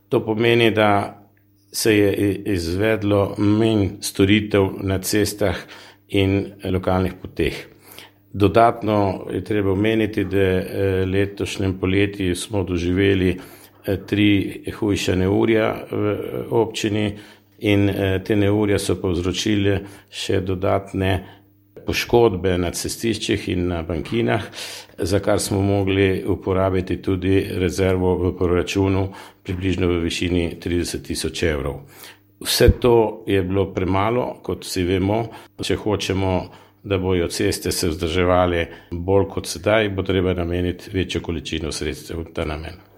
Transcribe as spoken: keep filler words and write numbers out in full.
To pomeni, da se je izvedlo manj storitev na cestah in lokalnih poteh. Dodatno je treba omeniti, da letošnjem poleti smo doživeli tri hujša neurja v občini in te neurja so povzročile še dodatne poškodbe na cestiščih in na bankinah, za kar smo mogli uporabiti tudi rezervo v proračunu približno v višini trideset tisoč evrov. Vse to je bilo premalo, kot vsi vemo. Če hočemo, da bojo ceste se vzdrževale bolj kot sedaj, bo treba nameniti večjo količino sredstev v ta namen.